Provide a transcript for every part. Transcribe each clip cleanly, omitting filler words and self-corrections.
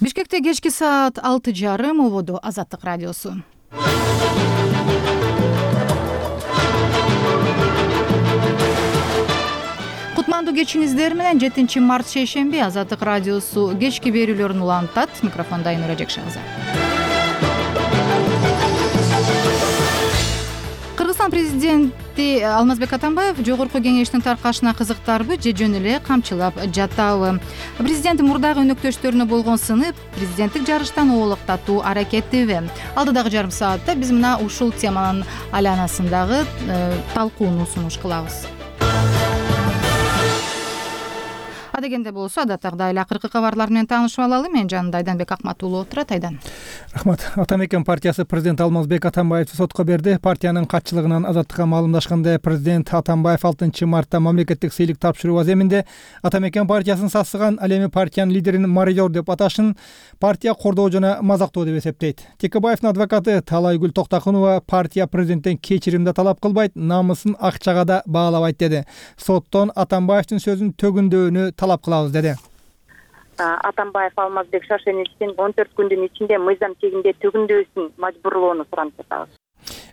Бишкекте кечки саат 6:30 ободу Азаттык радиосу. Кутмандуу кечиңиздер менен 7 март шейшемби Азаттык радиосу кечки берүүлөрүн улантат. Микрофонда Айнура Жекшагызы. Кыргызстан президенти Алмазбек Атамбаев жогорку кеңештин таркашына кызыктарбы же жөн эле камчылап жатабы? Президент мурдагы өнөктөштөрүнө болгон сынып президенттик жарыштан оолактатуу аракетиби? Алдыдагы жарым саатта биз мына ушул теманын айланасындагы талкууну сунуш кылабыз. Адегенде болсо адаттагыдай эле акыркы кабарлар менен таанышып алалы. Мен жанымда Айданбек Акмат уулу отурат. Айдан. Рахмат. Атамекен партиясы президент Алмазбек Атамбаевди сотко берди. Партиянын катчылыгынан Азаттыкка маалымдашкандай, президент Атамбаев 6 мартта мамлекеттик сыйлык тапшыруу аземинде Атамекен партиясын сасыган, ал эми партиянын лидерин мародер деп аташын партия кордоо жана мазактоо деп эсептейт. Текебаевдин адвокаты Талайгүл Токтокунова партия президенттен кечирим да талап кылбайт, намысын акчага да баалабайт деди. Соттон Атамбаевдин сөзүн төгүндөөнү талап кылабыз деди. Атамбаев Алмазбек Шашеничтин 14 күндүн ичинде мыйзам чегинде төгүндөсүн мажбурлоону суранып жатабыз.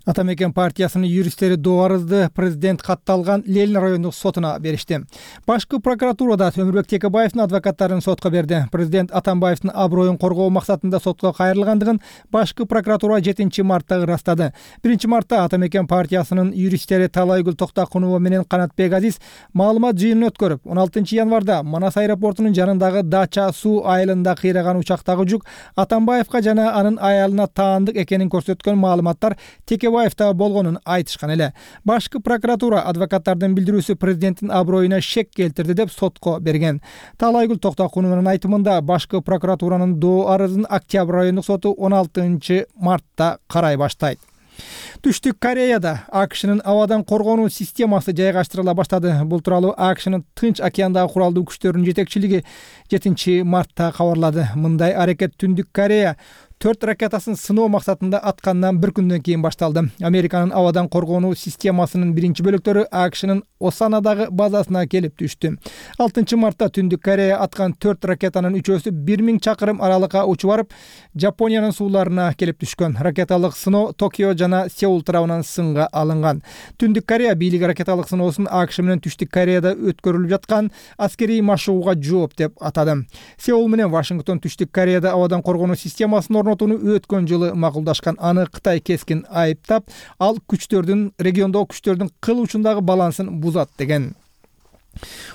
Атамекен партиясынын юристтери доо арызды президент катталган Ленин райондук сотуна беришти. Башкы прокуратурада Өмүрбек Текебаевдин адвокаттарын сотко берди. Президент Атамбаевдин аброюн коргоо максатында сотко кайрылгандыгын башкы прокуратура 7 мартта ырастады. 1 мартта Атамекен партиясынын юристтери Талайгүл Токтокунова менен Канатбек Азиз маалымат жыйынын өткөрүп, 16 январда Манас аэропортунун жанындагы Дача суу айылында кыйраган учактагы жүк Атамбаевга жана анын аялына таандык экенин көрсөткөн маалыматтар Текебаевда болгонун айтышкан эле. Башкы прокуратура адвокаттардын билдирүүсү президенттин аброюна шек келтирди деп сотко берген. Талайгүл Токтокунованын айтымында башкы прокуратуранын доо арызын Октябрь райондук соту 16 мартта карай баштайт. Түштүк Кореяда АКШнын абадан коргонуу системасы жайгаштырыла баштады. Бул тууралуу АКШнын Тынч океандагы куралдуу күчтөрүнүн жетекчилиги 7 мартта кабарлады. Мындай аракет Түндүк Корея 4 ракетасын сыноо максатында аткандан 1 күндөн кийин башталды. Американын абадан коргонуу системасынын биринчи бөлүктөрү АКШнын Осанадагы базасына келип түштү. 6 мартта Түндүк Корея аткан 4 ракетанын 3-өсү 1000 чакырым аралыкка учуп барып, Жапониянын сууларына келип түшкөн. Ракеталык сыноо Токио жана Сеул тарабынан сынга алынган. Түндүк Корея бийлиги ракеталык сыноосун АКШ менен Түштүк Кореяда өткөрүлүп жаткан аскерий машыгууга жооп деп атады. Сеул менен Вашингтон Түштүк Кореяда абадан коргонуу системасын орнотууну өткөн жылы макулдашкан. Аны Кытай кескин айыптап, ал региондогу күчтөрдүн кыл учундагы балансын бузат деген.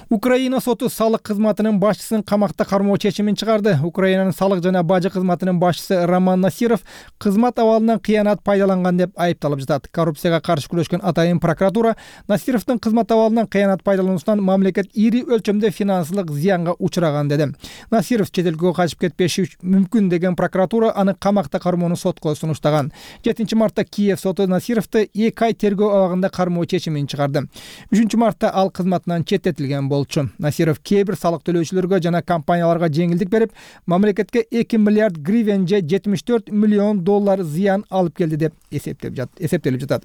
Украина соту салык кызматынын башчысын камакта кармоо чечимин чыгарды. Украинанын салык жана бажы кызматынын башчысы Роман Насиров кызмат абалынан кыянат пайдаланган деп айыпталып жатат. Коррупцияга каршы күрөшкөн атайын прокуратура Насировдун кызмат абалынан кыянат пайдалануусунан мамлекет ири өлчөмдө финансылык зыянга учураган деди. Насиров чет элге качып кетпеши мүмкүн деген прокуратура аны камакта кармоону сотко сунуштаган. 7 мартта Киев соту Насировду 2 ай тергөө абагында кармоо чечимин чыгарды. 3 мартта ал кызматынан четтетилген болчу. Насиров кээ бир салык төлөөчүлөргө жана компанияларга жеңилдик берип, мамлекетке 2 миллиард гривен же 74 миллион доллар зыян алып келди деп эсептелип жатат.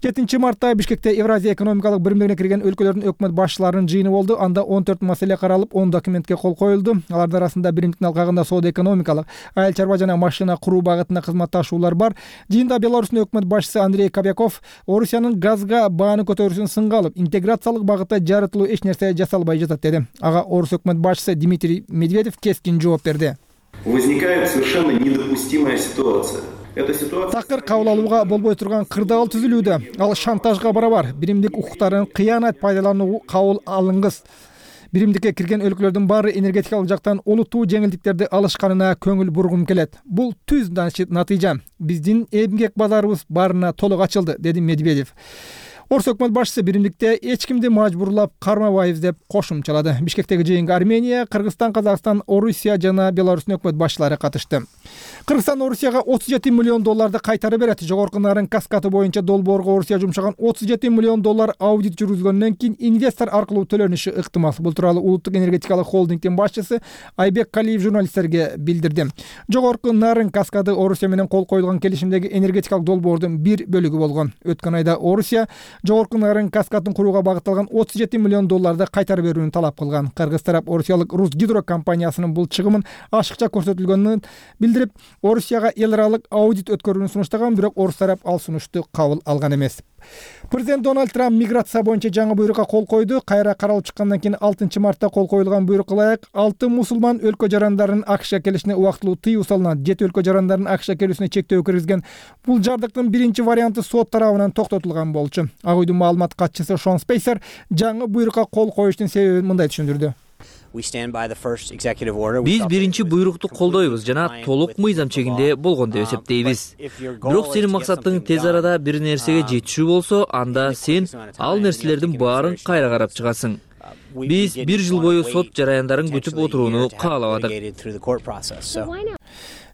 7 мартта Бишкекте Евразия экономикалык биримдигине кирген өлкөлөрдүн өкмөт башчыларынын жыйыны болду. Анда 14 маселе каралып, 10 документке кол коюлду. Алардын арасында биримдиктин алкагында соода экономикалык, айыл чарба жана машина куруу багытында кызматташуулар бар. Жыйында Беларустун өкмөт башчысы Андрей Кобяков Орусиянын газга бааны көтөрүүсүн сынга алып, интеграциялык багытта жарытылуу эч нерсе жасалбай жатат деди. Ага Орус өкмөт башчысы Дмитрий Медведев кескин жооп берди. Возникает совершенно недопустимая ситуация. Такыр кабыл алууга болбой турган кырдаал түзүлүүдө. Ал шантажга барабар. Биримдик укуктарын кыянат пайдалануу кабыл алынгыс. Биримдикке кирген өлкөлөрдүн баары энергетикалык жактан олуттуу жеңилдиктерди алышканына көңүл бургум келет. Бул түз натыйжа. Биздин эмгек базарыбыз баарына толук ачылды, деди Медведев. Орус өкмөт башчысы биримдикте эч кимди мажбурлап кармабайбыз деп кошумчалады. Бишкектеги жыйынга Армения, Кыргызстан, Казакстан, Орусия жана Беларустун өкмөт башчылары катышты. Кыргызстан Орусияга 37 миллион долларды кайтарып берет. Жогорку нарын каскаты боюнча долбоорго Орусия жумшаган 37 миллион доллар аудит жүргүзгөндөн кийин инвестор аркылуу төлөнүшү ыктымал. Бул тууралуу Улуттук энергетикалык холдингдин башчысы Айбек Калиев журналисттерге билдирди. Жогорку нарын каскады Орусия менен кол коюлган келишимдеги энергетикалык долбоордун бир бөлүгү болгон. Өткөн айда Орусия Жогорку Нарын каскадын курууга багытталган $37 миллион кайтарып берүүнү талап кылган. Кыргыз тарап орусиялык Русгидро компаниясынын бул чыгымын ашыкча көрсөтүлгөнүн билдирип, Орусияга эл аралык аудит өткөрүүнү сунуштаган, бирок орус тарап ал сунушту кабыл алган эмес. Президент Дональд Трамп миграция боюнча жаңы буйрукка кол койду. Кайра каралып чыккандан кийин 6 мартта кол коюлган буйрукка ылайык 6 мусулман өлкө жарандарынын АКШга келишине убактылуу тыюу салынат. 7 өлкө жарандарынын АКШга келүүсүнө чектөө киргизген бул жардыктын биринчи варианты сот тарабынан токтотулган болчу. Ак үйдүн маалымат катчысы Шон Спейсер жаңы буйрукка кол коюштун себебин мындай түшүндүрдү. Биз биринчи буйрукту колдойбуз жана толук мыйзам чегинде болгон деп эсептейбиз. Бирок сенин максатың тез арада бир нерсеге жетишүү болсо, анда сен ал нерселердин баарын кайра карап чыгасың. Биз 1 жыл бою сот жараяндарын күтүп отурууну каалабадык.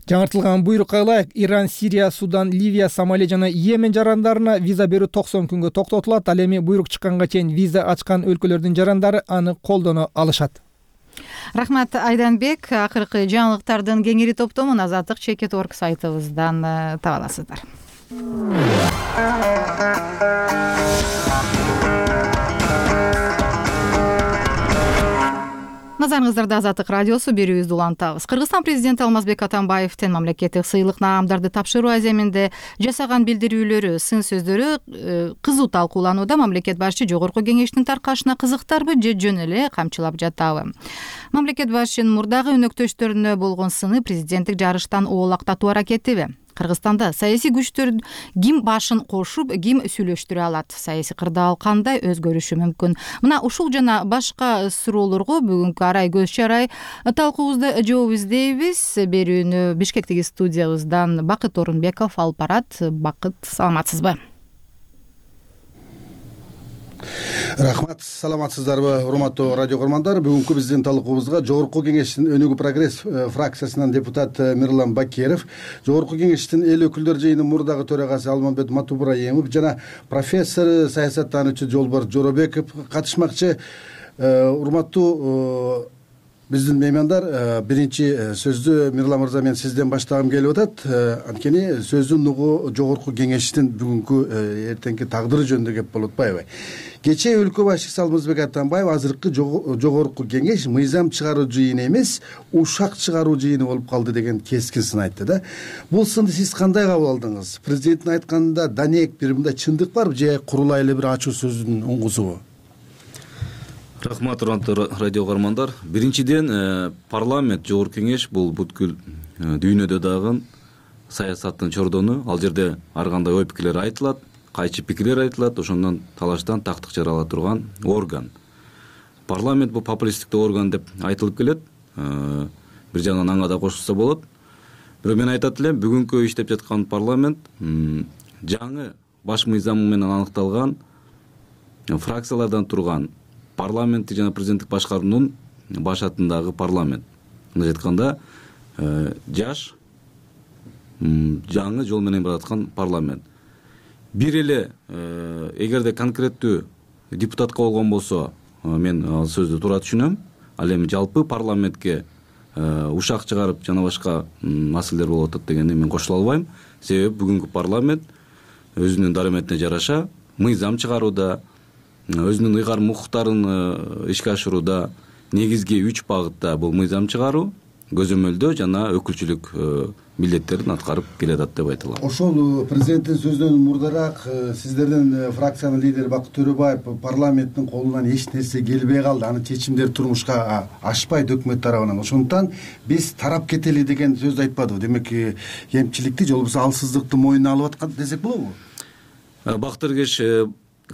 Жаңыртылган буйрукка ылайык Иран, Сирия, Судан, Ливия, Сомали жана Йемен жарандарына виза берүү 90 күнгө токтотулат. Ал эми буйрук чыкканга чейин виза ачкан өлкөлөрдүн жарандары аны колдоно алышат. Рахмат Айданбек. Акыркы жаңылыктардын кеңири топтомун Азаттык Чекит.org сайтыбыздан таба аласыздар. Назарыңыздарда Азаттык радиосу берүүбүздү улантабыз. Кыргызстан президенти Алмазбек Атамбаевдин мамлекеттик сыйлык наамдарды тапшыруу аземинде жасаган билдирүүлөрү, сын сөздөрү кызуу талкууланууда. Мамлекет башчы Жогорку Кеңештин таркашына кызыктарбы же жөн эле камчылап жатабы? Мамлекет башчынын мурдагы өнөктөштөрүнө болгон сыны президенттик жарыштан оолактатуу аракетиби? Кыргызстанда саясий күчтөр ким башын кошуп, ким сүйлөштүрө алат? Саясий кырдаал кандай өзгөрүшү мүмкүн? Мына ушул жана башка суроолорго бүгүнкү арай көз чарай талкуубузда жооп издейбиз. Берүүнү Бишкектеги студиябыздан Бакыт Орунбеков алып барат. Бакыт, саламатсызбы? Рахмат, саламатсыздарбы, урматтуу радио көрмандар. Бүгүнкү биздин талкуубузга Жогорку Кеңештин Өнүгүү прогресс фракциясынан депутат Мирлан Бакиров, Жогорку Кеңештин эл өкүлдөр жыйынынын мурдагы төрагасы Алмамбет Матубраимов жана профессор саясаттануучу Жолборс Жоробеков катышмакчы. Урматтуу биздин меймандар, биринчи сөздү Мирлан мырза мен сизден баштагым келип атат. Анткени сөздүн нугу Жогорку Кеңештин бүгүнкү эртеңки тагдыры жөнүндө кеп болуп атпайбы? Кечээ өлкө башчысы Алмазбек Атамбаев азыркы Жогорку Кеңеш мыйзам чыгаруу жыйыны эмес, ушак чыгаруу жыйыны болуп калды деген кескин сын айтты да. Бул сынды сиз кандай кабыл алдыңыз? Президенттин айтканында данек бир мындай чындык барбы же курулай эле бир ачуу сөздүн уңгусубу? Рахмат, урматтуу радио көрмандар. Биринчиден, парламент, Жогорку Кеңеш бул бүткүл дүйнөдө дагы саясаттын чордону. Ал жерде ар кандай ой пикирлер айтылат, кайчы пикирлер айтылат, ошондон талаштан тактык жарала турган орган. Парламент бул популисттик орган деп айтылып келет. Бир жагынан аңа да кошулса болот. Бирок мен айтат элем, бүгүнкү иштеп жаткан парламент жаңы баш мыйзам менен аныкталган фракциялардан турган парламенттик жана президенттик башкаруунун башатындагы парламент. Мындайча айтканда, жаш жаңы жол менен бараткан парламент. Бир эле эгерде конкреттүү депутатка болгон болсо, мен ал сөздү туура түшүнөм. Ал эми жалпы парламентке ушак чыгарып жана башка маселелер болуп атат дегенди мен кошула албайм. Себеби бүгүнкү парламент өзүнүн дарыметине жараша мыйзам чыгарууда, өзүнүн ыйгарым укуктарын ишке ашырууда негизги 3 багытта бул мыйзам чыгаруу, көзөмөлдөө жана өкүлчүлүк милдеттерин аткарып келатат деп айта алам. Ошол президенттин сөзүнөн мурдараак сиздердин фракциянын лидери Бакыт Төрөбаев парламенттин колунан эч нерсе келбей калды, анын чечимдери турмушка ашпайт өкмөт тарабынан. Ошондуктан биз тарап кетели деген сөздү айтпадыбы? Демек, кемчиликти же болбосо алсыздыкты мойнуна алып аткан десек болобу? Бакыт Эргеш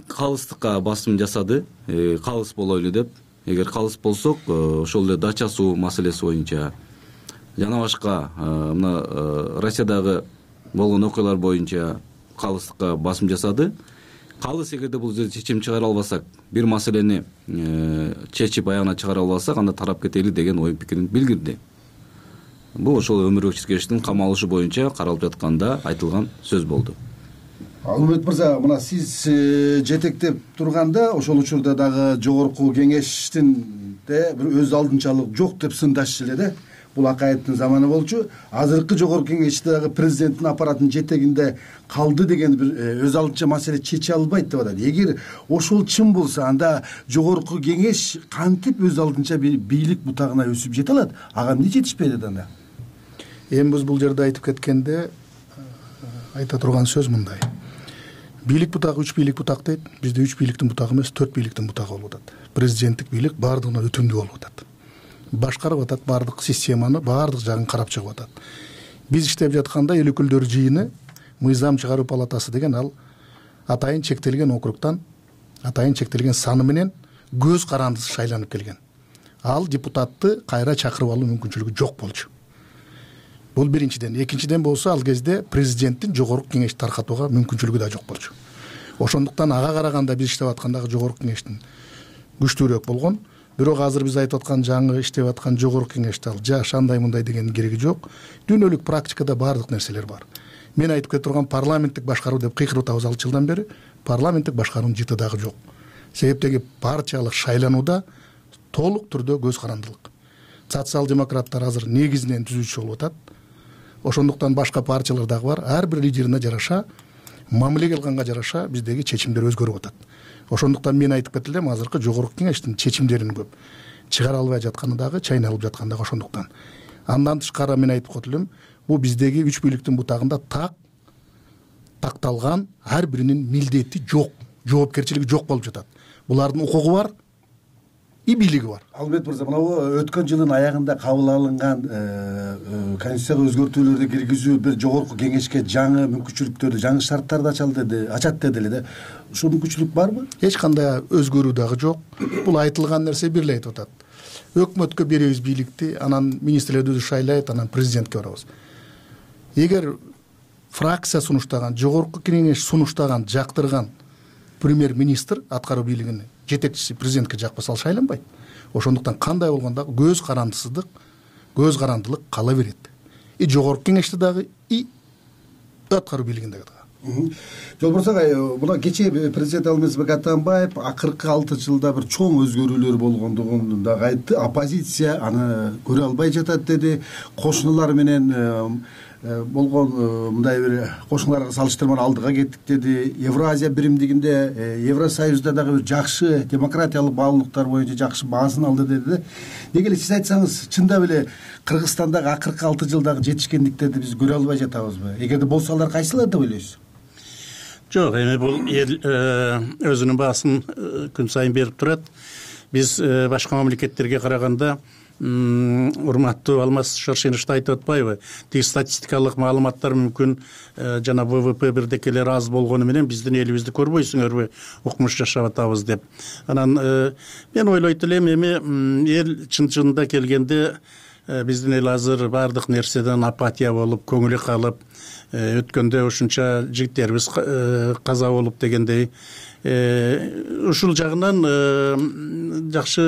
калыстыкка басым жасады, калыс болойлу деп. Эгер калыс болсок, ошол эле дача суу маселеси боюнча жана башка мына Россиядагы болгон окуялар боюнча калыстыкка басым жасады. Калыс эгерде бул жерде чечим чыгара албасак, бир маселени чечип аягына чыгара албасак, анда тарап кетели деген ой пикирин билдирди. Бул ошол Өмүрбек Чиркеевичтин камалышы боюнча каралып жатканда айтылган сөз болду. Алмамбет мырза, мына сиз жетектеп турганда ошол учурда дагы Жогорку Кеңештин бир өз алдынчалык жок деп сындашчу эле да. бул Акаевдин заманы болчу. Азыркы жогорку кеңеште дагы президенттин аппаратынын жетегинде калды деген бир өз алдынча маселе чече албайт деп атат. Эгер ошол чын болсо, анда жогорку кеңеш кантип өз алдынча бийлик бутагына өсүп жете алат? Ага эмне жетишпейт анда? Эми биз бул жерде айтып кеткенде айта турган сөз мындай: бийлик бутагы 3 бийлик бутак дейт. Бизде 3 бийликтин бутагы эмес, 4 бийликтин бутагы болуп атат. Президенттик бийлик баардыгынан өтүмдүү болуп атат. Башкарып атат, баардык системаны, баардык жагын карап чыгып атат. Биз иштеп жатканда эл өкүлдөр жыйыны мыйзам чыгаруу палатасы деген ал атайын чектелген округтан, атайын чектелген саны менен көз карандысыз шайланып келген. Ал депутатты кайра чакырып алуу мүмкүнчүлүгү жок болчу. Бул биринчиден. Экинчиден болсо, ал кезде президенттин жогорку кеңешти таркатууга мүмкүнчүлүгү да жок болчу. Ошондуктан ага караганда биз иштеп аткандагы жогорку кеңештин күчтүүрөөк болгон. Бирок азыр биз айтып аткан жаңы иштеп аткан жогорку кеңеште ал жаш андай мындай дегенин кереги жок. Дүйнөлүк практикада баардык нерселер бар. Мен айтып кете турган парламенттик башкаруу деп кыйкырып атабыз 6 жылдан бери. Парламенттик башкаруунун жыты дагы жок. Себептеги партиялык шайланууда толук түрдө көз карандылык. Социал-демократтар азыр негизинен түзүүчү болуп атат. Ошондуктан башка партиялар дагы бар. Ар бир лидерине жараша, мамилеге алганга жараша биздеги чечимдер өзгөрүп атат. Ошондуктан мен айтып кете элем, азыркы жогорку кеңештин чечимдерин көп чыгара албай жатканы дагы, чайналып жатканы дагы ошондуктан. Андан тышкары мен айтып кете элем, бул биздеги 3 бийликтин бутагында такталган ар биринин милдети жок, жоопкерчилиги жок болуп жатат. Булардын укугу бар, и бийлиги бар. Албет мырза, мына өткөн жылдын аягында кабыл алынган конституцияга өзгөртүүлөрдү киргизүү бир жогорку кеңешке жаңы мүмкүнчүлүктөрдү, жаңы шарттарды ачат деди эле. Ушул мүмкүнчүлүк барбы? Эч кандай өзгөрүү дагы жок. Бул айтылган нерсе бир эле айтып атат. Өкмөткө беребиз бийликти, анан министрлерди шайлайт, анан президентке барабыз. Эгер фракция сунуштаган, жогорку кеңеш сунуштаган, жактырган премьер-министр аткаруу бийлигинин жетекчиси президентке жакпаса, ал шайланбайт. Ошондуктан кандай болгондо көз карандылык кала берет. И жогорку кеңеште дагы, и аткаруу бийлигинде дагы. Жолборс агай, мына кечээ президент Алмазбек Атамбаев акыркы 6 жылда бир чоң өзгөрүүлөр болгондугун дагы айтты. Оппозиция аны көрө албай жатат деди. Кошуналар менен болгон мындай бир кошуналарга салыштырмалуу алдыга кеттик деди. Евразия биримдигинде, Евросоюзда дагы бир жакшы демократиялык баалуулуктар боюнча жакшы баасын алды деди. Неге эле сиз айтсаңыз, чындап эле Кыргызстандагы акыркы 6 жылдагы жетишкендиктерди биз көрө албай жатабызбы? Эгерде болсо, алар кайсылар деп ойлойсуз? Жок, эми бул эл өзүнүн баасын күн сайын берип турат. Биз башка мамлекеттерге караганда, урматтуу Алмаз Шаршенович айтып атпайбы? Тиги статистикалык маалыматтар мүмкүн жана ВВП бирдекелер аз болгону менен биздин элибизди көрбөйсүңөрбү, укмуш жашап атабыз деп. Анан мен ойлойт элем, эми эл чын-чынында келгенде биздин эл азыр баардык нерседен апатия болуп, көңүлү калып, өткөндө ушунча жигиттерибиз каза болуп дегендей, ушул жагынан жакшы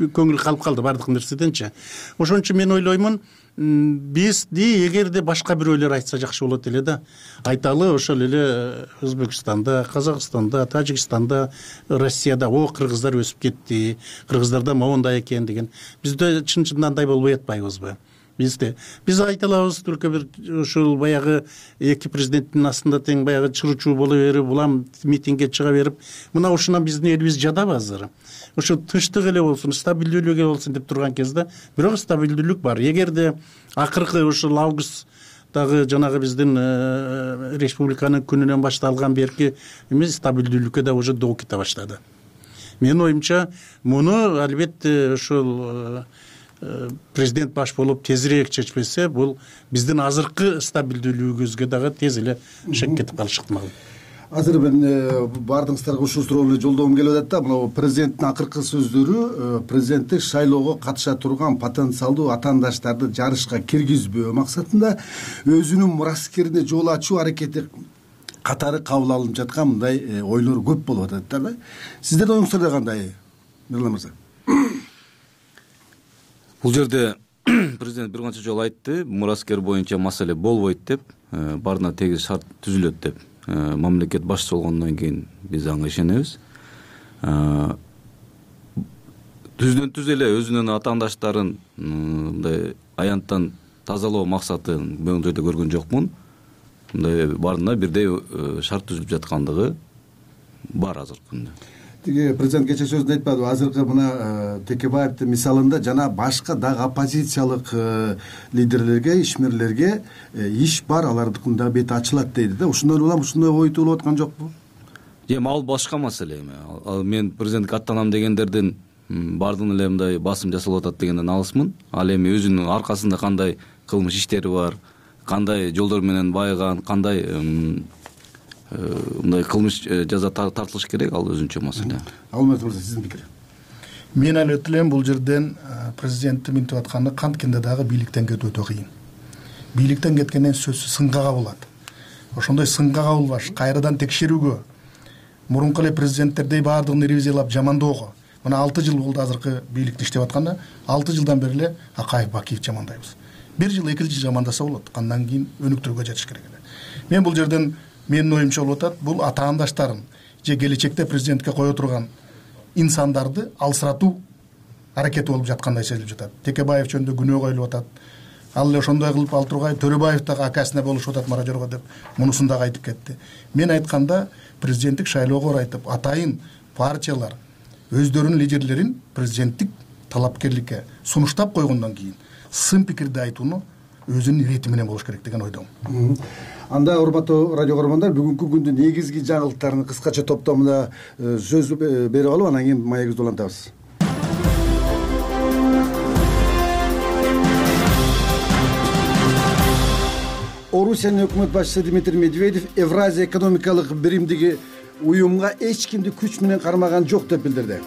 көңүл калып калды баардык нерседенчи. Ошон үчүн мен ойлоймун, бизди эгерде башка бирөөлөр айтса жакшы болот эле да. Айталы, ошол эле Өзбекстанда, Казакстанда, Тажикстанда, Россияда кыргыздар өсүп кетти, кыргыздарда моундай экен деген. Бизде чын-чынында андай болбой атпайбызбы? Биз айта алабыз, только бир ушул баягы эки президенттин астында тең баягы чырчуу боло берип, улам митингге чыга берип, мына ушунан биздин элибиз жадабы азыр? Ошо тынчтык эле болсун, стабилдүүлүк эле болсун деп турган кезде, бирок стабилдүүлүк бар. Эгерде акыркы ушул августтагы жанагы биздин республиканын күнүнөн башталган берки эмес стабилдүүлүккө да уже доо кете баштады. Менин оюмча, муну албетте ушул президент баш болуп тезирээк чечпесе, бул биздин азыркы стабилдүүлүгүбүзгө дагы тез эле шек кетип калышы ыктымал. Азыр мен баардыгыңыздарга ушул суроону жолдогум келип атат да. Мына президенттин акыркы сөздөрү президенттик шайлоого катыша турган потенциалдуу атаандаштарды жарышка киргизбөө максатында өзүнүн мураскерине жол ачуу аракети катары кабыл алынып жаткан мындай ойлор көп болуп атат да. Сиздердин оюңуздар кандай, Мирлан мырза? Бул жерде президент бир канча жолу айтты, мураскер боюнча маселе болбойт деп, баарына тегиз шарт түзүлөт деп. Мамлекет башчысы болгондон кийин биз ага ишенебиз. түздөн түз эле өзүнүн атаандаштарын мындай аянттан тазалоо максатын бул жерде көргөн жокмун. Мындай баарына бирдей шарт түзүлүп жаткандыгы бар азыркы күндө. Тиги президент кечээ сөзүндө айтпадыбы, азыркы мына Текебаевдин мисалында жана башка дагы оппозициялык лидерлерге, ишмерлерге иш бар, алардыкын да бети ачылат дейди да. Ушундан улам ушундай ой туулуп аткан жокпу? Эми ал башка маселе эми. Ал мен президентке аттанам дегендердин баардыгын эле мындай басым жасалып атат дегенден алысмын. Ал эми өзүнүн аркасында кандай кылмыш иштери бар, кандай жолдор менен байыган, кандай мындай кылмыш жаза тартылыш керек, ал өзүнчө маселе. Алмаз мырза, сиздин пикир? Мен алып элем бул жерден президенттин минтип атканы канткенде дагы бийликтен кетүү өтө кыйын. Бийликтен кеткенден сөзсүз сынга кабылат. Ошондой сынга кабылбаш, кайрадан текшерүүгө, мурунку эле президенттердей баардыгын ревизиялап жамандоого. Мына 6 жыл болду азыркы бийликти иштеп атканда, 6 жылдан бери эле Акаев, Бакиев жамандайбыз. 1 жыл, 2 жыл жамандаса болот, андан кийин өнүктүрүүгө жатыш керек эле. Мен бул жерден менин оюмча болуп атат, бул атаандаштарын же келечекте президентке кое турган инсандарды алсыратуу аракети болуп жаткандай сезилип жатат. Текебаев жөнүндө күнөө коюлуп атат. Ал эле ошондой кылып ал тургай Төрөбаев дагы акасына болушуп атат Маражорго деп мунусун дагы айтып кетти. Мен айтканда президенттик шайлоого орайтып атайын партиялар өздөрүнүн лидерлерин президенттик талапкерликке сунуштап койгондон кийин сын пикирди айтууну өзүнүн ирети менен болуш керек деген ойдомун. Анда урматтуу радио көрөрмандар, бүгүнкү күндүн негизги жаңылыктарын кыскача топтомдо сөз берип алып, анан кийин маегибизди улантабыз. Орусиянын өкмөт башчысы Дмитрий Медведев Евразия экономикалык биримдиги уюмга эч кимди күч менен кармаган жок деп билдирди.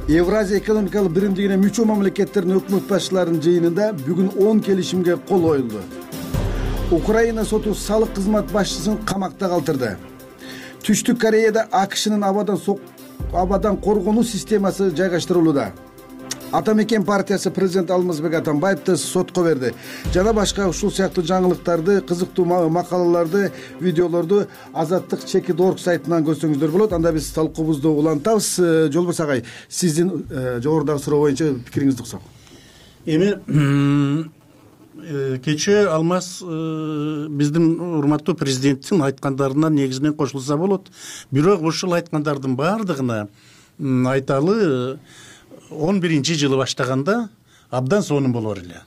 Евразия экономикалык биримдигине мүчө мамлекеттердин өкмөт башчыларынын жыйынында бүгүн 10 келишимге кол коюлду. Украина соту салык кызмат башчысын камакта калтырды. Түштүк Кореяда АКШнын абадан коргонуу системасы жайгаштырылууда. Атамекен партиясы президент Алмазбек Атамбаевди сотко берди. Жана башка ушул сыяктуу жаңылыктарды, кызыктуу макалаларды, видеолорду Азаттык.org сайтынан көрсөңүздөр болот. Анда биз талкуубузду улантабыз. Жолбос агай, сиздин жогорудагы суроо боюнча пикириңизди уксак. Эми кечээ Алмаз биздин урматтуу президенттин айткандарына негизинен кошулса болот. Бирок ушул айткандардын баардыгына айталы 11-жылы баштаганда абдан сонун болор эле.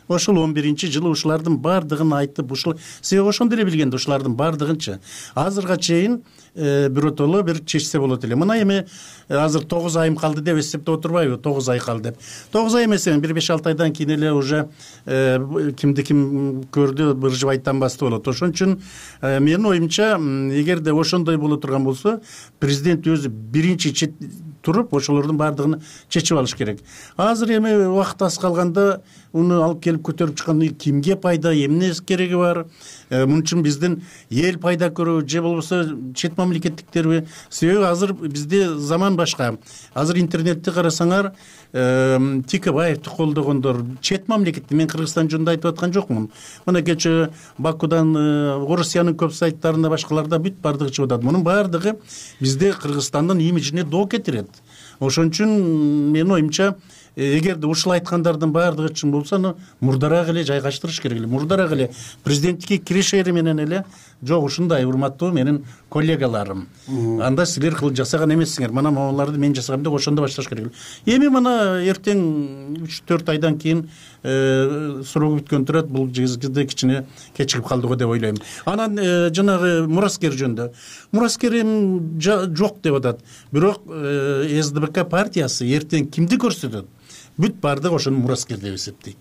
Ошол 11-жылы ушулардын баардыгын айтып, ушул себеби ошондо эле билгенде ушулардын баардыгынча азырга чейин биротоло бир чечсе болот эле. Мына эми азыр 9 айым калды деп эсептеп отурбайбы? 9 ай калды деп. 9 ай эмес, 1-5-6 айдан кийин эле уже кимди ким көрдү, быржып айтанбасты болот. Ошон үчүн менин оюмча, эгерде ошондой боло турган болсо, президент өзү биринчи туруп ошолордун баардыгын чечип алыш керек. Азыр эми убакыт аз калганда уну алып келип көтөрүп чыккан кимге пайда, эмне кереги бар? Мун үчүн биздин эл пайда көрөбү же болбосо чет мамлекеттиктерби? Себеби азыр бизде заман башка. Азыр интернетти карасаңар, Текебаевди колдогондор чет мамлекетти, мен Кыргызстан жөнүндө айтып аткан жокмун. Мына кечээ Бакудан Орусиянын көп сайттарында, башкаларда бүт баардыгы чыгып атат. Мунун баардыгы бизде Кыргызстандын имиджине доо кетирет. Ошон үчүн менин оюмча, эгерде ушул айткандардын баардыгы чын болсо, аны мурдараак эле жайгаштырыш керек эле. Мурдараак эле президенттикке киришери менен эле, жок ушундай урматтуу менин коллегаларым, анда силер кылып жасаган эмессиңер, мына могуларды мен жасагам деп ошондо башташ керек эле. Эми мына эртең 3-4 айдан кийин суроо бүткөн турат, бул жерде кичине кечигип калды го деп ойлойм. Анан жанагы мураскер жөнүндө. Мураскер жок деп атат. Бирок СДБК партиясы эртең кимди көрсөтөт? Бүт баардыгы ошону мураскер деп эсептейт.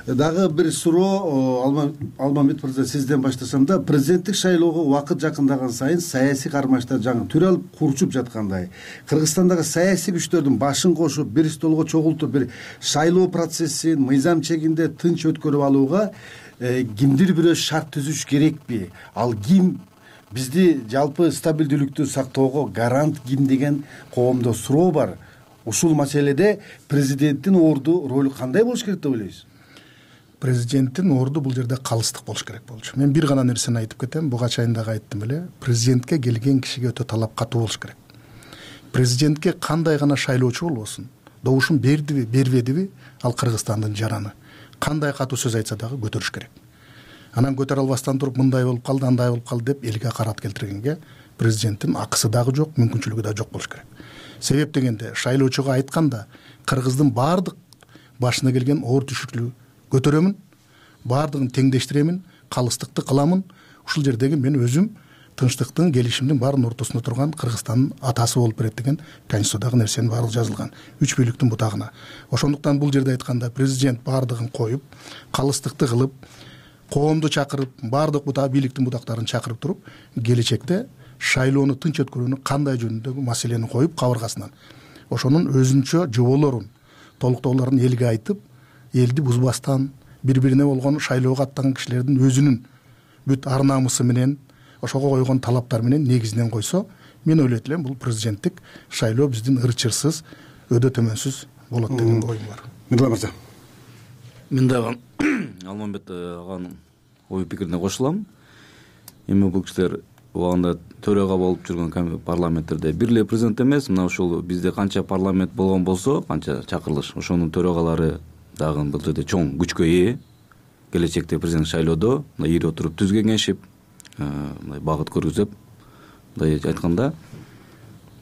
Дагы бир суроо, Алмамбет мырза, сизден баштасам да, президенттик шайлоого убакыт жакындаган сайын саясий кармаштар жаңы түр алып курчуп жаткандай. Кыргызстандагы саясий күчтөрдүн башын кошуп, бир столго чогултуп, бир шайлоо процессин мыйзам чегинде тынч өткөрүп алууга кимдир бирөө шарт түзүш керекпи? Ал ким? Бизди жалпы стабилдүүлүктү сактоого гарант ким деген коомдо суроо бар. Ушул маселеде президенттин орду ролу кандай болуш керек деп ойлойсуз? Президенттин орду бул жерде калыстык болуш керек болчу. Мен бир гана нерсени айтып кетем, буга чейин дагы айттым эле. Президентке келген кишиге өтө талап катуу болуш керек. Президентке кандай гана шайлоочу болбосун, добушун бердиби бербедиби ал Кыргызстандын жараны. Кандай катуу сөз айтса дагы көтөрүш керек. Анан көтөрө албастан туруп мындай болуп калды, андай болуп калды деп элге карат келтиргенге президенттин акысы дагы жок, мүмкүнчүлүгү да жок болуш керек. Себеп дегенде шайлоочуга айтканда Кыргыздын баардык башына келген оор түшүклү көтөрөмүн, баардыгын теңдештиремин, калыстыкты кыламын. Ушул жердеги мен өзүм тынчтыктын, келишимдин баарынын ортосунда турган Кыргызстандын атасы болуп берет деген Конституциядагы нерсенин баардыгы жазылган. 3 бийликтин бутагына. Ошондуктан бул жерде айтканда президент баардыгын коюп, калыстыкты кылып, коомду чакырып, баардык бийликтин бутактарын чакырып туруп, келечекте шайлоону тынч өткөрүүнү кандай жөнүндөгү маселени коюп кабыргасынан ошонун өзүнчө жоболорун, толуктоолорун элге айтып, элди бузбастан, бири-бирине болгон шайлоого аттанган кишилердин өзүнүн бүт ар намысы менен, ошого койгон талаптар менен негизинен койсо, мен ойлойт элем бул президенттик шайлоо биздин ырчырсыз, өдө төмөнсүз болот деген оюм бар. Мирлан мырза. Мен дагы Алмамбет аганын ой пикирине кошулам. Эми бул кишилер убагында төрага болуп жүргөн парламенттерде бир эле президент эмес, мына ушул бизде канча парламент болгон болсо, канча чакырылыш, ошонун төрагалары дагы бул жерде чоң күчкө ээ. Келечекте президент шайлоодо ири отуруп түз кеңешип, мындай багыт көргүзүп, мындай айтканда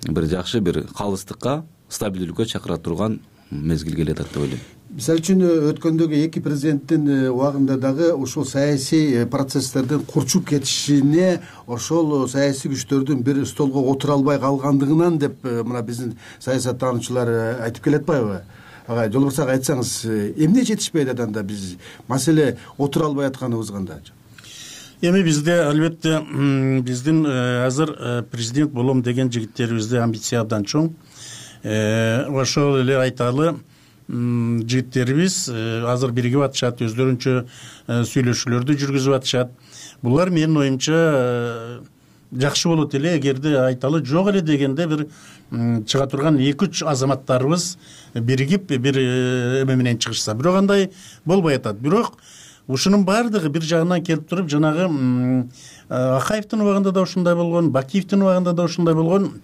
бир жакшы бир калыстыкка, стабилдүүлүккө чакыра турган мезгил келе атат деп ойлойм. Мисалы үчүн өткөндөгү эки президенттин убагында дагы ушул саясий процесстердин курчуп кетишине ошол саясий күчтөрдүн бир столго отура албай калгандыгынан деп мына биздин саясаттануучулар айтып келе атпайбы? Ага, Жолборсак айтсаңыз, эмне жетишпейт анда биз маселе отура албай атканыбыз кандай? Эми бизде албетте биздин азыр президент болом деген жигиттерибизде амбиция абдан чоң. Ошол эле айталы жигиттерибиз азыр биригип атышат, өздөрүнчө сүйлөшүүлөрдү жүргүзүп атышат. Булар менин оюмча жакшы болот эле эгерде айталы жок эле дегенде бир чыга турган 2-3 азаматтарыбыз биригип бир эме менен чыгышса. Бирок андай болбой атат. Бирок ушунун баардыгы бир жагынан келип туруп, жанагы Акаевдин убагында да ушундай болгон, Бакиевдин убагында да ушундай болгон.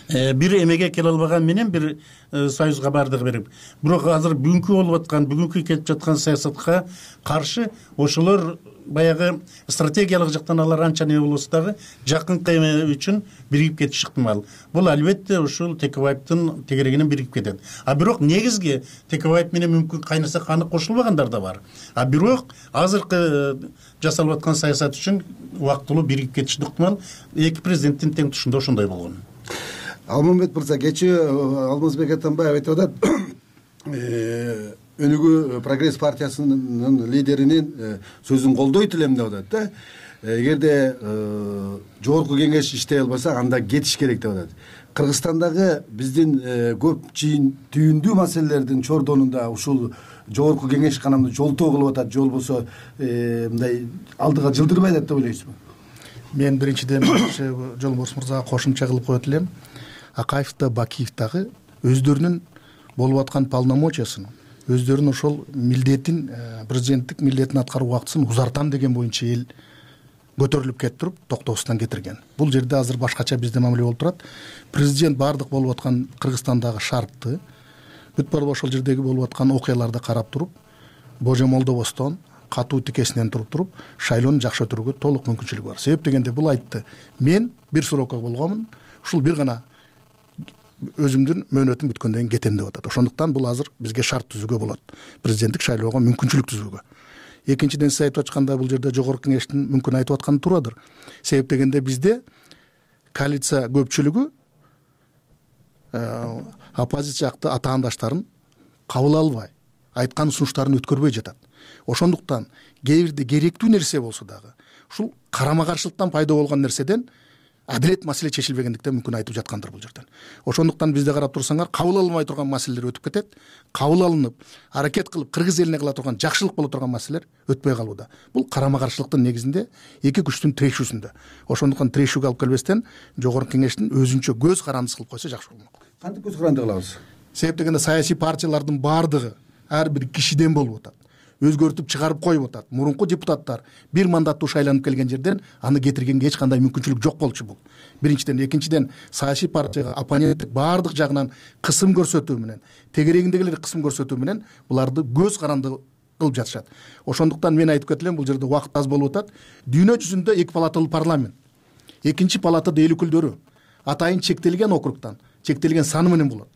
Бир эмеге келе албаган менен бир союзга бардыгы берип. Бирок азыр бүгүнкү болуп аткан, бүгүнкү кетип жаткан саясатка каршы ошолор баягы стратегиялык жактан алар анча не болсо дагы жакынкы эме үчүн биригип кетиши ыктымал. Бул албетте ушул Текебаевдин тегерегинен биригип кетет. Бирок негизги Текебаев менен мүмкүн кайнаса каны кошулбагандар да бар. Бирок азыркы жасалып аткан саясат үчүн убактылуу биригип кетиши ыктымал. Эки президенттин тең тушунда ошондой болгон. Алмамбет мырза, кечээ Алмазбек Атамбаев айтып атат, өнүгүү прогресс партиясынын лидеринин сөзүн колдойт элем деп атат да. Эгерде жогорку кеңеш иштей албаса, анда кетиш керек деп атат. Кыргызстандагы биздин көп түйүндүү маселелердин чордонунда ушул жогорку кеңеш канамды жолтоо кылып атат, жол болсо мындай алдыга жылдырбай атат деп ойлойсузбу? Мен биринчиден Жолборс мырзага кошумча кылып коет элем. Акаев да Бакиев дагы өздөрүнүн болуп аткан полномочиясын, өздөрүнүн ошол милдетин, президенттик милдетин аткаруу убактысын узартам деген боюнча эл көтөрүлүп кетип туруп токтоосунан кетирген. Бул жерде азыр башкача бизде мамиле болуп турат. Президент баардык болуп аткан Кыргызстандагы шартты, бүт баары ошол жердеги болуп аткан окуяларды карап туруп, божомолдобостон, катуу тикесинен туруп, шайлоону жакшы өтүрүүгө толук мүмкүнчүлүгү бар. Себеп дегенде бул айтты. Мен бир срокко болгонмун, ушул бир гана өзүмдүн мөөнөтүм бүткөндөн кийин кетем деп атат. Ошондуктан бул азыр бизге шарт түзүүгө болот. Президенттик шайлоого мүмкүнчүлүк түзүүгө. Экинчиден сиз айтып атканда бул жерде жогорку кеңештин мүмкүн айтып атканы туурадыр. Себеп дегенде бизде коалиция көпчүлүгү оппозиция жакты атаандаштарын кабыл албай, айткан сунуштарын өткөрбөй жатат. Ошондуктан кээ бирде керектүү нерсе болсо дагы ушул карама каршылыктан пайда болгон нерседен адилет маселе чечилбегендиктен мүмкүн айтып жаткандыр бул жерден. Ошондуктан бизде карап турсаңар, кабыл алынбай турган маселелер өтүп кетет. Кабыл алынып, аракет кылып кыргыз элине кыла турган жакшылык боло турган маселелер өтпөй калууда. Бул карама каршылыктын негизинде эки күчтүн тирешүүсүндө. Ошондуктан тирешүүгө алып келбестен жогорку кеңештин өзүнчө көз карандысы кылып койсо жакшы болмок. Кантип көз каранды кылабыз? Себеп дегенде саясий партиялардын баардыгы ар бир кишиден болуп атат. өзгөртүп чыгарып коюп атат. Мурунку депутаттар бир мандаттуу шайланып келген жерден аны кетиргенге эч кандай мүмкүнчүлүк жок болчу бул. Биринчиден, экинчиден саясий партияга оппоненттик баардык жагынан кысым көрсөтүү менен, тегерегиндегилер кысым көрсөтүү менен буларды көз каранды кылып жатышат. Ошондуктан мен айтып кетелем, бул жерде убакыт аз болуп атат. Дүйнө жүзүндө эки палаталуу парламент, экинчи палатада эл өкүлдөрү атайын чектелген округтан, чектелген саны менен болот.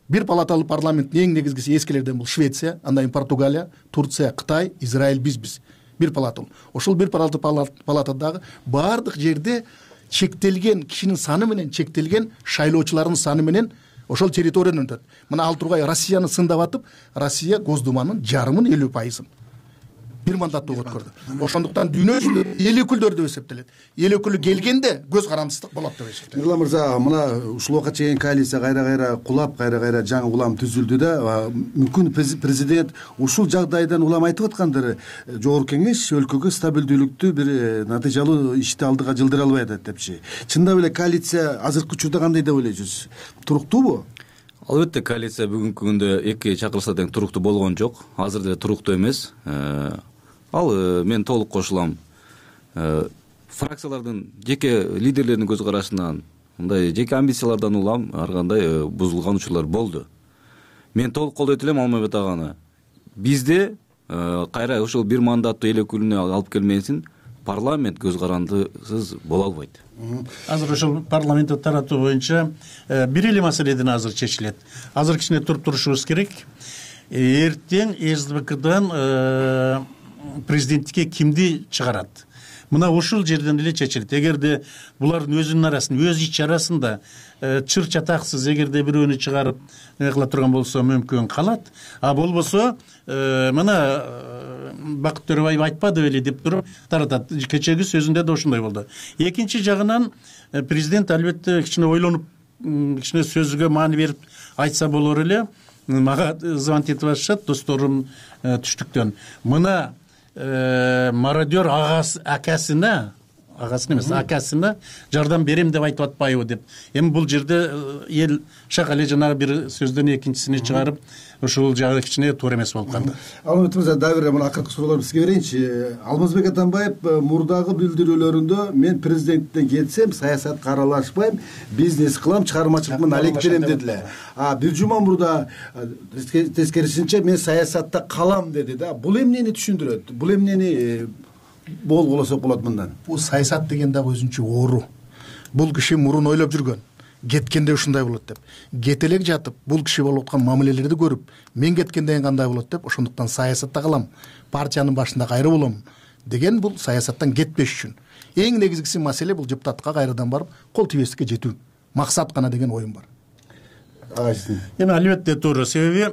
Бир палаталуу парламенттин эң негизгиси эскилерден бул Швеция, андан кийин Португалия, Турция, Кытай, Израиль, бизбиз. Бир палаталуу. Ошол бир палатадагы баардык жерде чектелген кишинин саны менен, чектелген шайлоочулардын саны менен ошол территориядан өтөт. Мына ал тургай Россияны сындап атып, Россия Госдуманын жарымын 50% бир мандаттуу өткөрдү. Ошондуктан дүйнө жүзүндө эл өкүлдөрү деп эсептелет. Эл өкүлү келгенде көз карандысыздык болот деп эсептелет. Мирлан мырза, мына ушул убакка чейин коалиция кайра кулап, кайра жаңы улам түзүлдү да, мүмкүн президент ушул жагдайдан улам айтып аткандыр, жогорку кеңеш өлкөгө стабилдүүлүктү бир натыйжалуу ишти алдыга жылдыра албай атат депчи. Чындап эле коалиция азыркы учурда кандай деп ойлойсуз? Туруктуубу? Албетте, коалиция бүгүнкү күндө эки чакырса тең туруктуу болгон жок. Азыр деле туруктуу эмес. Ал мен толук кошулам. Фракциялардын жеке лидерлеринин көз карашынан, мындай жеке амбициялардан улам ар кандай бузулган учурлар болду. Мен толук колдойт элем Алмазбек аганы. Бизде кайра ушул бир мандаттуу эл өкүлүнө алып келмесин, парламент көз карандысыз боло албайт. Азыр ошол парламентти таратуу боюнча бир эле маселеден азыр чечилет. Азыр кичине туруп турушубуз керек. Эртең СДБКдан президенттикке кимди чыгарат? Мына ушул жерден эле чечилет. Эгерде булардын өзүнүн арасында, өз ич арасында чыр чатаксыз эгерде бирөөнү чыгарып кыла турган болсо мүмкүн калат. А болбосо мына Бакыт Төрөбаев айтпады беле деп туруп таратат. Кечеги сөзүндө да ошондой болду. Экинчи жагынан президент албетте кичине ойлонуп, кичине сөзгө маани берип айтса болор эле. Мага звонок этип атышат досторум түштүктөн. Мына мародер акасына эмес, акасына жардам берем деп айтып атпайбы деп. Эми бул жерде эл шак эле жанагы бир сөздөн экинчисине чыгарып, ушул жагы кичине туура эмес болуп калды. Алмазбек мырза, дагы бир мына акыркы суроолорду сизге берейинчи. Алмазбек Атамбаев мурдагы билдирүүлөрүндө мен президенттен кетсем, саясатка аралашпайм, бизнес кылам, чыгармачылык менен алектенем дедиле. Бир жума мурда тескерисинче мен саясатта калам деди да. Бул эмнени түшүндүрөт? Бул эмнени болгуласак болот мындан? Бул саясат деген дагы өзүнчө оору. Бул киши мурун ойлоп жүргөн. Кеткенде ушундай болот деп. Кете элек жатып, бул киши болуп аткан мамилелерди көрүп, мен кеткенден кандай болот деп, ошондуктан саясатта калам, партиянын башында кайра болом деген бул саясаттан кетпеш үчүн. Эң негизгиси маселе бул депутатка кайрадан барып кол тийбестикке жетүү. Максат гана деген оюм бар. Эми албетте туура. Себеби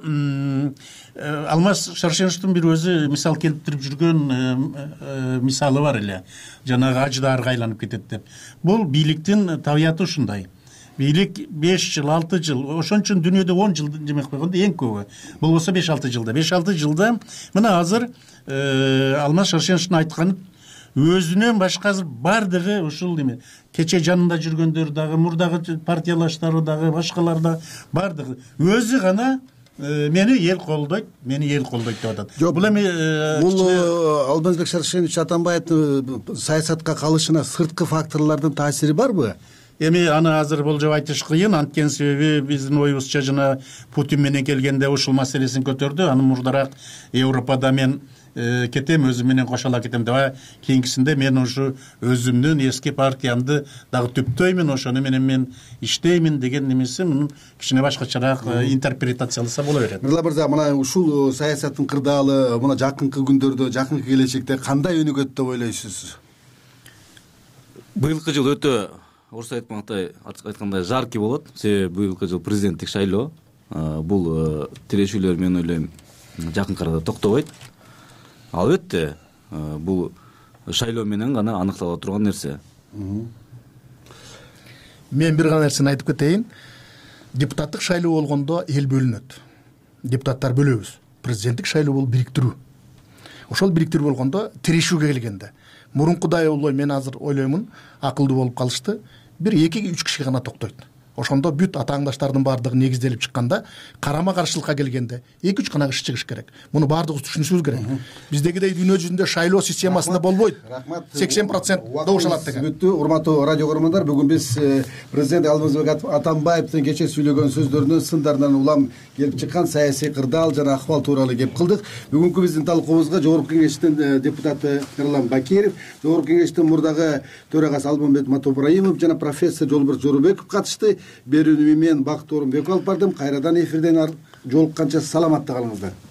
Алмаз Шаршеновдун бир өзү мисал келтирип жүргөн мисалы бар эле. Жанагы аждаарга айланып кетет деп. Бул бийликтин табияты ушундай. Бийлик 5 жыл, 6 жыл, ошон үчүн дүйнөдө 10 жыл демек койгондо эң көбү. Болбосо 5-6 жылда. 5-6 жылда мына азыр Алмаз Шаршеновдун айтканы өзүнөн башка бардыгы ушул эме кече жанында жүргөндөр дагы, мурдагы партиялаштары дагы, башкалар да бардыгы өзү гана мени эл колдойт деп атат. Бул эми Алмазбек Шаршенович Атамбаевдин саясатка калышына сырткы факторлордун таасири барбы? Эми аны азыр болжоп айтыш кыйын, анткени себеби биздин оюбузча жана Путин менен келгенде ушул маселесин көтөрдү. Аны мурдараак Европада мен кетем, өзүм менен кошо кетем деп, кийинкисинде мен ушу өзүмдүн эски партиямды дагы түптөймүн, ошону менен мен иштеймин деген немеси мунун кичине башкачараак интерпретацияласа боло берет. Мирлан мырза, мына ушул саясаттын кырдаалы мына жакынкы күндөрдө, жакынкы келечекте кандай өнүгөт деп ойлойсуз? Быйылкы жыл өтө орусча айткандай жаркий болот. Себеби быйылкы жыл президенттик шайлоо. Бул тирешүүлөр мен ойлойм жакынкы арада токтобойт. Албетте бул шайлоо менен гана аныктала турган нерсе. Мен бир гана нерсени айтып кетейин. Депутаттык шайлоо болгондо эл бөлүнөт. Депутаттар бөлөбүз. Президенттик шайлоо бул бириктирүү. Ошол бириктирүү болгондо тирешүүгө келгенде мурункудай мен азыр ойлоймун, акылдуу болуп калышты. Бир 2-3 киши гана токтойт. ошондо бүт атааңдаштардын баардыгы негизделип чыкканда карама каршылыкка келгенде 2-3 гана иш чыгыш керек. Муну баардыгыбыз түшүнүшүбүз керек. Биздегидей дүйнө жүзүндө шайлоо системасында болбойт. 80% добуш алат деген. Бүттү, урматтуу радио көрөрмандар, бүгүн биз президент Алмазбек Атамбаевдин кечээ сүйлөгөн сөздөрүнүн сындарынан улам келип чыккан саясий кырдаал жана акыбал тууралуу кеп кылдык. Бүгүнкү биздин талкуубузга Жогорку Кеңештин депутаты Эрлан Бакиров, Жогорку Кеңештин мурдагы төрагасы Алмамбет Матоибраимов жана профессор Жолборс Жоробеков катышты. Берүүнү мен Бакыт Орунбеков алып бардым. Кайрадан эфирден жолукканча саламатта калыңыздар.